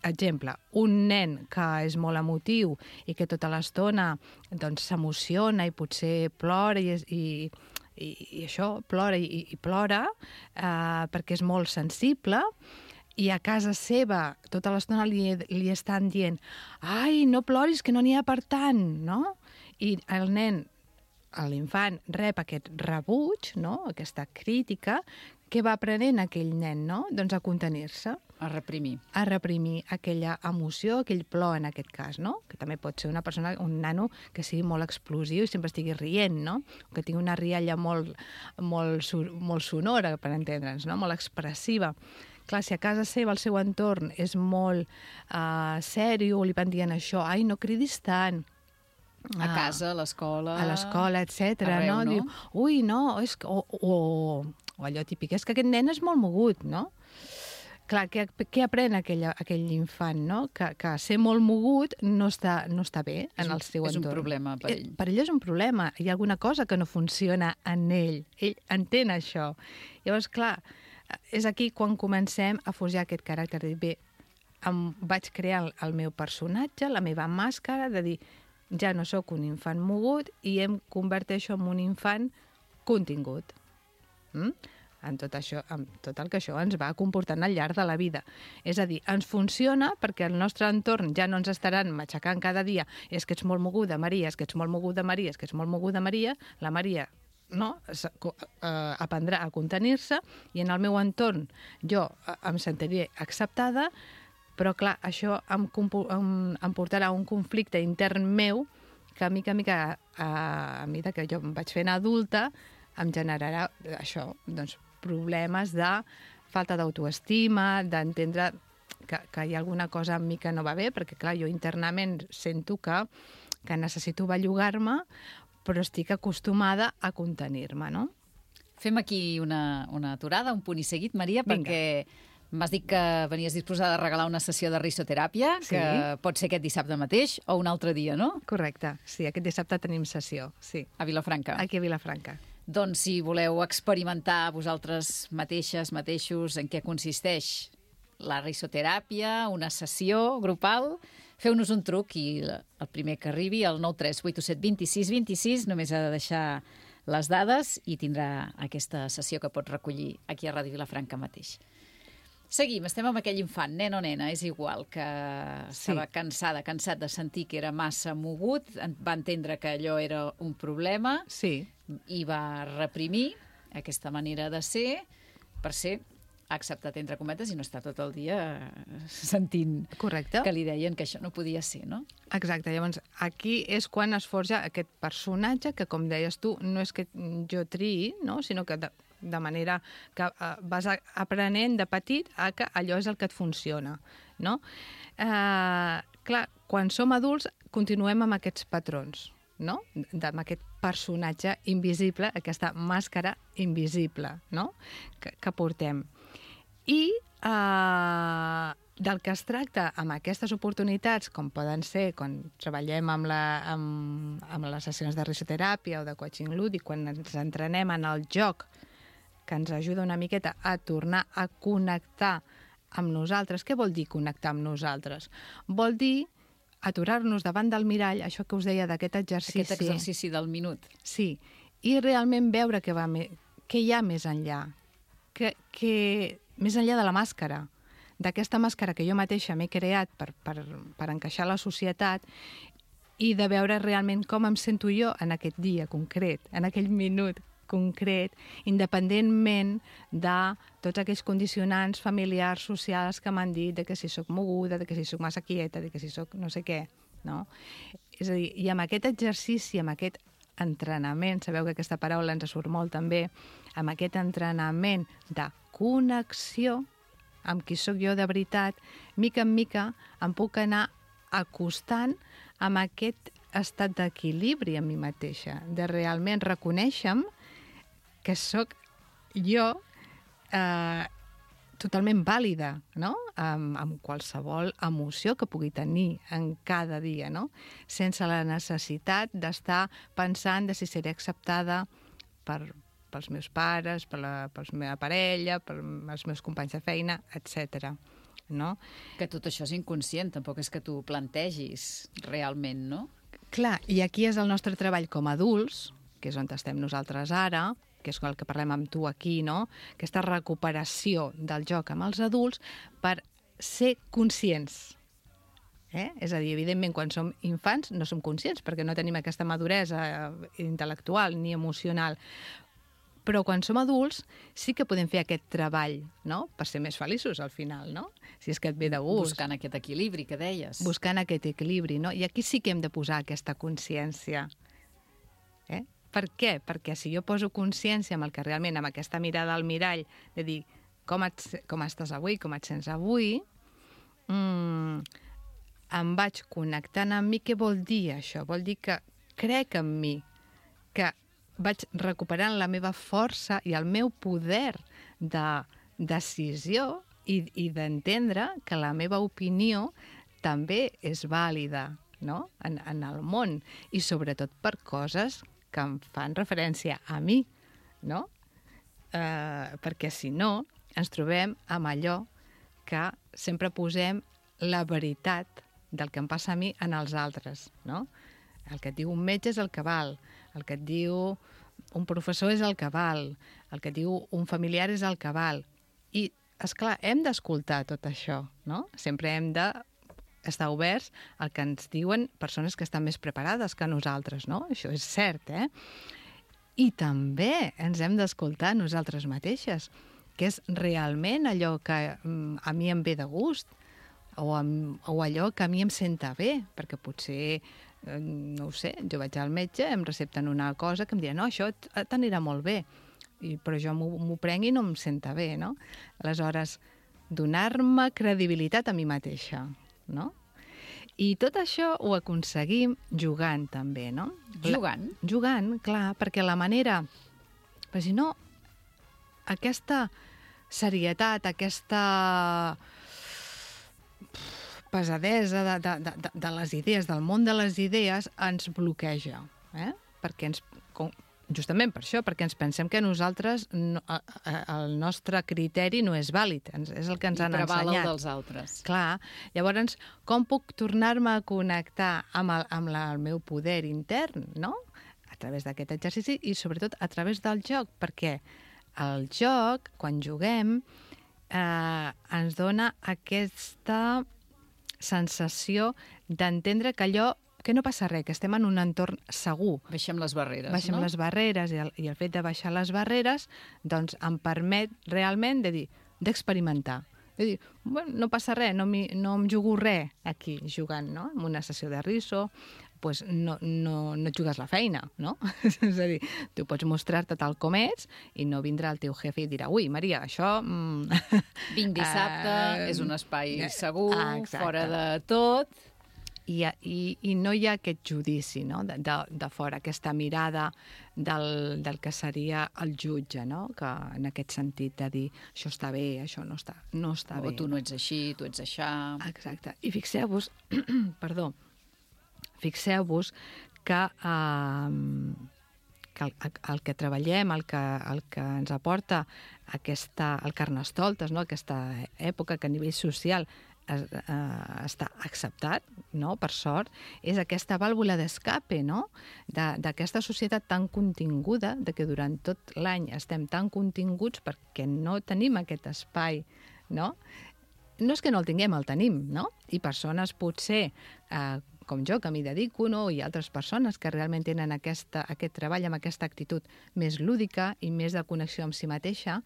Speaker 11: Exemple, un nen que és molt emotiu i que tota l'estona s'emociona i potser plora i això, plora i plora perquè és molt sensible, i a casa seva tota l'estona li estan dient «Ai, no ploris, que no n'hi ha per tant», no? I el nen, l'infant, rep aquest rebuig, no? Aquesta crítica, què va aprenent aquell nen, no? Doncs a contenir-se.
Speaker 3: A reprimir.
Speaker 11: A reprimir aquella emoció, aquell plor en aquest cas, no? Que també pot ser una persona, un nano que sigui molt explosiu i sempre estigui rient, no? Que tingui una rialla molt sonora, per entendre'ns, no? Molt expressiva. Clar, si a casa seva el seu entorn és molt sèrio, li van dient això, ai, no cridis tant.
Speaker 3: A casa, a l'escola...
Speaker 11: A l'escola, etc.
Speaker 3: Arreu, no?
Speaker 11: Diu, ui, no, és que... O allò típic, és que aquest nen és molt mogut, no? Clar, què aprèn aquell infant, no? Que ser molt mogut no està bé en el seu entorn.
Speaker 3: És un problema per ell.
Speaker 11: Per ell és un problema. Hi ha alguna cosa que no funciona en ell. Ell entén això. Llavors, clar, és aquí quan comencem a forjar aquest caràcter, de dir, bé, vaig crear el meu personatge, la meva màscara, de dir, ja no sóc un infant mogut i em converteixo en un infant contingut. En tot el que això ens va comportant al llarg de la vida. És a dir, ens funciona perquè el nostre entorn ja no ens estaran matxacant cada dia és que ets molt moguda, Maria, és que ets molt moguda, Maria, és que ets molt moguda, Maria. La Maria aprendrà a contenir-se i en el meu entorn jo em sentiré acceptada, però clar, això em portarà un conflicte intern meu que a mica a mesura que jo em vaig fent adulta em generarà això, doncs, problemes de falta d'autoestima, d'entendre que hi ha alguna cosa amb mi que no va bé, perquè, clar, jo internament sento que necessito bellugar-me, però estic acostumada a contenir-me, no?
Speaker 3: Fem aquí una aturada, un punt i seguit, Maria,
Speaker 11: Vinga.
Speaker 3: perquè m'has dit que venies disposada a regalar una sessió de risoteràpia,
Speaker 11: Sí.
Speaker 3: que pot ser aquest dissabte mateix o un altre dia, no?
Speaker 11: Correcte, sí, aquest dissabte tenim sessió, sí.
Speaker 3: A Vilafranca.
Speaker 11: Aquí a Vilafranca.
Speaker 3: Doncs si voleu experimentar vosaltres mateixos en què consisteix la risoteràpia, una sessió grupal, feu-nos un truc i el primer que arribi, el 938272626, només ha de deixar les dades i tindrà aquesta sessió que pot recollir aquí a Ràdio Vilafranca mateix. Seguim, estem amb aquell infant, nen o nena, és igual, que estava cansat de sentir que era massa mogut, va entendre que allò era un problema i va reprimir aquesta manera de ser per ser acceptat, entre cometes, i no està tot el dia sentint que li deien que això no podia ser, no?
Speaker 11: Exacte, llavors aquí és quan es forja aquest personatge que, com deies tu, no és que jo triï, no? Sinó que de manera que vas aprenent de petit a que allò és el que et funciona, no? Clar, quan som adults continuem amb aquests patrons, no? Amb aquest personatge invisible, aquesta màscara invisible, no? Que portem. I del que es tracta amb aquestes oportunitats, com poden ser quan treballem amb les sessions de risoteràpia o de coaching lúdic, quan ens entrenem en el joc, que ens ajuda una miqueta a tornar a connectar amb nosaltres. Què vol dir connectar amb nosaltres? Vol dir aturar-nos davant del mirall, això que us deia d'aquest exercici.
Speaker 3: Aquest exercici del minut.
Speaker 11: Sí, i realment veure què hi ha més enllà, més enllà de la màscara, d'aquesta màscara que jo mateixa m'he creat per encaixar a la societat, i de veure realment com em sento jo en aquest dia concret, en aquell minut concret, independentment de tots aquells condicionants familiars, socials que m'han dit de que si sóc moguda, de que si sóc massa quieta, de que si sóc no sé què, no? És a dir, i amb aquest exercici, amb aquest entrenament, sabeu que aquesta paraula ens surt molt també, amb aquest entrenament de connexió amb qui sóc jo de veritat, mica en mica em puc anar acostant amb aquest estat d'equilibri en mi mateixa, de realment reconèixer que sóc jo totalment vàlida, no? Amb qualsevol emoció que pugui tenir en cada dia, no? Sense la necessitat d'estar pensant de si seré acceptada pels meus pares, per la meva parella, pels meus companys de feina, etc. No?
Speaker 3: Que tot això és inconscient, tampoc és que tu ho plantegis realment, no?
Speaker 11: Clar, i aquí és el nostre treball com a adults, que és on estem nosaltres ara, que és el que parlem amb tu aquí, no? Aquesta recuperació del joc amb els adults per ser conscients. És a dir, evidentment, quan som infants no som conscients perquè no tenim aquesta maduresa intel·lectual ni emocional. Però quan som adults sí que podem fer aquest treball, no? Per ser més feliços al final, no? Si és que et ve de gust.
Speaker 3: Buscant aquest equilibri que deies.
Speaker 11: Buscant aquest equilibri, no? I aquí sí que hem de posar aquesta consciència. Per què? Perquè si jo poso consciència amb el que realment, amb aquesta mirada al mirall, de dir com estàs avui, com et sents avui, em vaig connectant amb mi. Què vol dir això? Vol dir que crec en mi, que vaig recuperant la meva força i el meu poder de decisió i d'entendre que la meva opinió també és vàlida, no? En el món, i sobretot per coses que em fan referència a mi, no? Perquè si no, ens trobem amb allò que sempre posem la veritat del que em passa a mi en els altres, no? El que et diu un metge és el que val, el que et diu un professor és el que val, el que et diu un familiar és el que val. I, esclar, hem d'escoltar tot això, no? Sempre hem d'estar oberts al que ens diuen persones que estan més preparades que nosaltres, no? Això és cert, I també ens hem d'escoltar nosaltres mateixes, que és realment allò que a mi em ve de gust, o allò que a mi em senta bé, perquè potser, no ho sé, jo vaig al metge, em recepten una cosa que em diuen, no, això t'anirà molt bé, però jo m'ho prenc i no em senta bé, no? Aleshores, donar-me credibilitat a mi mateixa, no? I tot això ho aconseguim jugant, també, no?
Speaker 3: Jugant?
Speaker 11: Jugant, clar, perquè la manera... Però si no, aquesta serietat, aquesta pesadesa de les idees, del món de les idees, ens bloqueja, perquè justament per això, perquè ens pensem que nosaltres, el nostre criteri no és vàlid, és el que ens han ensenyat.
Speaker 3: I preval el dels altres.
Speaker 11: Clar, llavors, com puc tornar-me a connectar amb el meu poder intern, no? A través d'aquest exercici i, sobretot, a través del joc, perquè el joc, quan juguem, ens dona aquesta sensació d'entendre que allò que no passa res, que estem en un entorn segur.
Speaker 3: Baixem les barreres,
Speaker 11: Baixem les barreres, i el fet de baixar les barreres doncs em permet realment d'experimentar. De dir, bueno, no passa res, no em jugo res aquí jugant, no? En una sessió de riso, pues no et jugues la feina, no? És a dir, tu pots mostrar-te tal com ets i no vindrà el teu jefe i dirà, ui, Maria, això...
Speaker 3: Vinc dissabte, és un espai segur, fora de tot...
Speaker 11: I no hi ha aquest judici, no? de fora, aquesta mirada del que seria el jutge, no? Que en aquest sentit de dir això està bé, això no està bé.
Speaker 3: O tu no ets així, tu ets aixà...
Speaker 11: Exacte. I fixeu-vos, fixeu-vos que el que treballem, el que ens aporta el Carnestoltes, no? Aquesta època que a nivell social està acceptat, no? Per sort, és aquesta vàlvula d'escape, no? D'aquesta societat tan continguda, de que durant tot l'any estem tan continguts perquè no tenim aquest espai, no? No és que no el tinguem, el tenim, no? I persones potser, com jo, que m'hi dedico, no? I altres persones que realment tenen aquest treball amb aquesta actitud més lúdica i més de connexió amb si mateixa,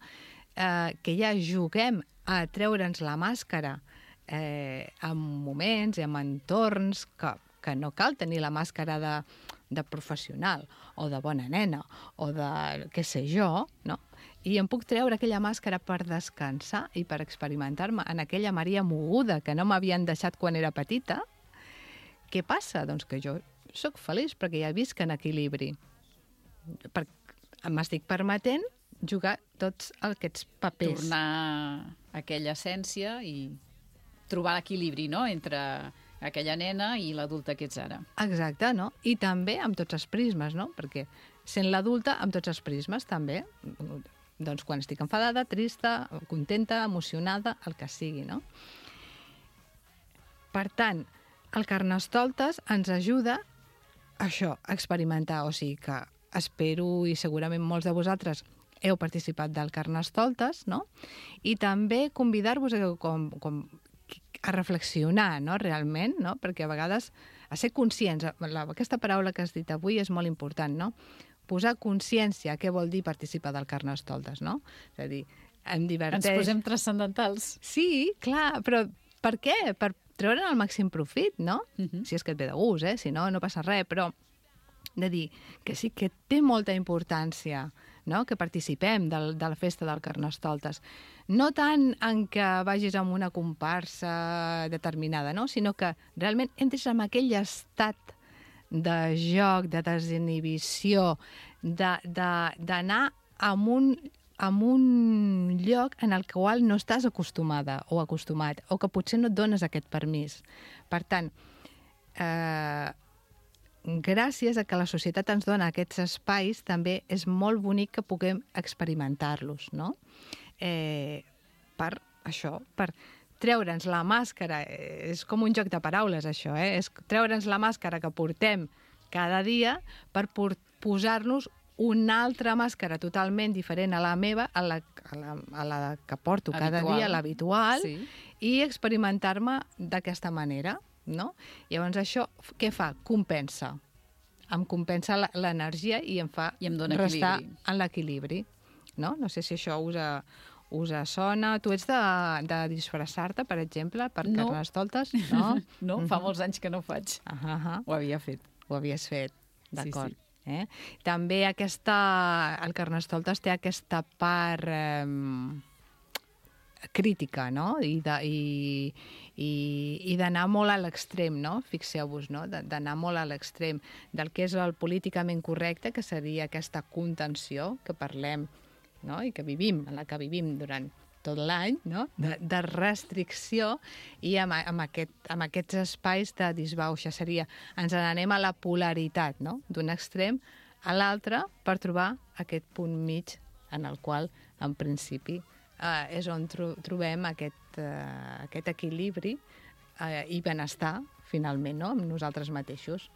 Speaker 11: que ja juguem a treure'ns la màscara en moments i en entorns que no cal tenir la màscara de professional o de bona nena o de què sé jo, no? I em puc treure aquella màscara per descansar i per experimentar-me en aquella Maria moguda que no m'havien deixat quan era petita. Què passa? Doncs que jo sóc feliç perquè ja visc en equilibri. M'estic permetent jugar tots aquests papers.
Speaker 3: Tornar a aquella essència i trobar l'equilibri, no?, entre aquella nena i l'adulta que ets ara.
Speaker 11: Exacte, no? I també amb tots els prismes, no? Perquè sent l'adulta amb tots els prismes, també. Doncs quan estic enfadada, trista, contenta, emocionada, el que sigui, no? Per tant, el Carnestoltes ens ajuda a això, a experimentar. O sigui que espero, i segurament molts de vosaltres heu participat del Carnestoltes, no? I també convidar-vos a reflexionar, no?, realment, no? Perquè a vegades a ser conscients, aquesta paraula que has dit avui és molt important, no? Posar consciència, què vol dir participar del Carnestoltes, no? És a dir, em diverteix...
Speaker 3: Ens posem transcendentals.
Speaker 11: Sí, clar, però per què? Per treure'n el màxim profit, no? Si és que et ve de gust, si no, no passa res, però de dir que sí que té molta importància, no?, que participem de la festa del Carnestoltes. No tant en que vagis amb una comparsa determinada, no?, sinó que realment entres en aquell estat de joc, de desinhibició, d'anar en un lloc en el qual no estàs acostumada o acostumat, o que potser no et dones aquest permís. Per tant, gràcies a que la societat ens dona aquests espais, també és molt bonic que puguem experimentar-los, no? Per això, per treure'ns la màscara, és com un joc de paraules, això, és treure'ns la màscara que portem cada dia per posar-nos una altra màscara totalment diferent a la meva, a la que porto cada dia, l'habitual, i experimentar-me d'aquesta manera, no? Llavors això què fa? Compensa. Em compensa l'energia i em fa restar en l'equilibri. No sé si això us sona. Tu ets de disfressar-te, per exemple, per Carnestoltes? No?
Speaker 3: No, fa molts anys que no ho faig. Ho havia fet.
Speaker 11: Ho havies fet, d'acord. També el Carnestoltes té aquesta part crítica, no? I d'anar molt a l'extrem, no? Fixeu-vos, no? D'anar molt a l'extrem del que és el políticament correcte, que seria aquesta contenció que parlem, no? I que vivim, en la que vivim durant tot l'any, no? De restricció, i amb aquests espais de disbauxa. Seria, ens n'anem a la polaritat, no? D'un extrem a l'altre per trobar aquest punt mig en el qual, en principi, és on trobem aquest equilibri i benestar, finalment, no? Amb nosaltres mateixos.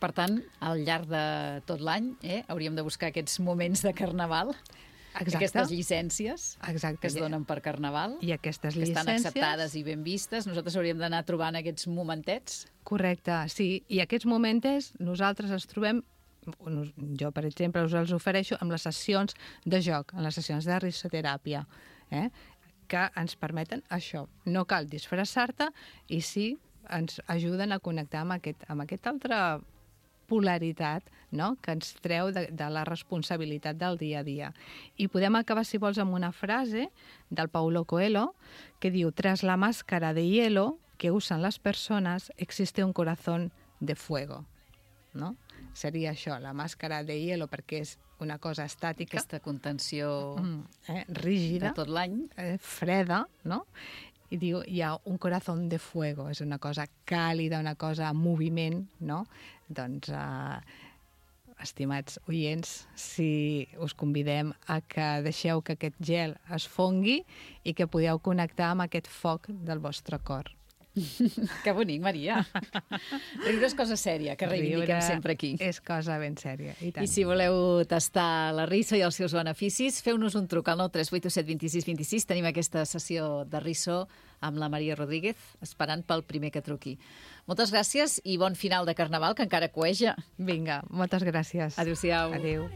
Speaker 3: Per tant, al llarg de tot l'any hauríem de buscar aquests moments de carnaval, aquestes llicències que es donen per carnaval,
Speaker 11: i aquestes
Speaker 3: que estan
Speaker 11: llicències
Speaker 3: acceptades i ben vistes. Nosaltres hauríem d'anar trobant aquests momentets.
Speaker 11: Correcte, sí. I aquests momentets nosaltres els trobem, jo, per exemple, us els ofereixo amb les sessions de joc, en les sessions de risoteràpia, que ens permeten això. No cal disfressar-te i sí ens ajuden a connectar amb aquesta altra polaritat, no?, que ens treu de la responsabilitat del dia a dia. I podem acabar, si vols, amb una frase del Paulo Coelho que diu: «Tras la máscara de hielo que usan las personas existe un corazón de fuego». No? Seria això, la màscara de hielo, perquè és una cosa estàtica.
Speaker 3: Aquesta contenció
Speaker 11: rígida.
Speaker 3: De tot l'any.
Speaker 11: Freda, no? I diu, hi ha un corazón de fuego, és una cosa càlida, una cosa en moviment, no? Doncs, estimats oients, si us convidem a que deixeu que aquest gel es fongui i que podeu connectar amb aquest foc del vostre cor.
Speaker 3: Que bonic, Maria. Riure és cosa sèria, que reivindiquem sempre aquí.
Speaker 11: És cosa ben sèria, i tant.
Speaker 3: I si voleu tastar la riso i els seus beneficis, feu-nos un truc al 93817 26 26. Tenim aquesta sessió de riso amb la Maria Rodríguez, esperant pel primer que truqui. Moltes gràcies i bon final de Carnaval, que encara cueja.
Speaker 11: Vinga, moltes gràcies.
Speaker 3: Adéu-siau.
Speaker 11: Adéu.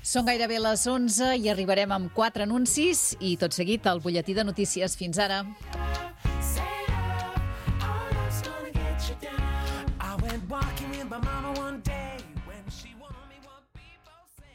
Speaker 3: Són gairebé les 11 i arribarem amb 4 anuncis i tot seguit el butlletí de notícies. Fins ara.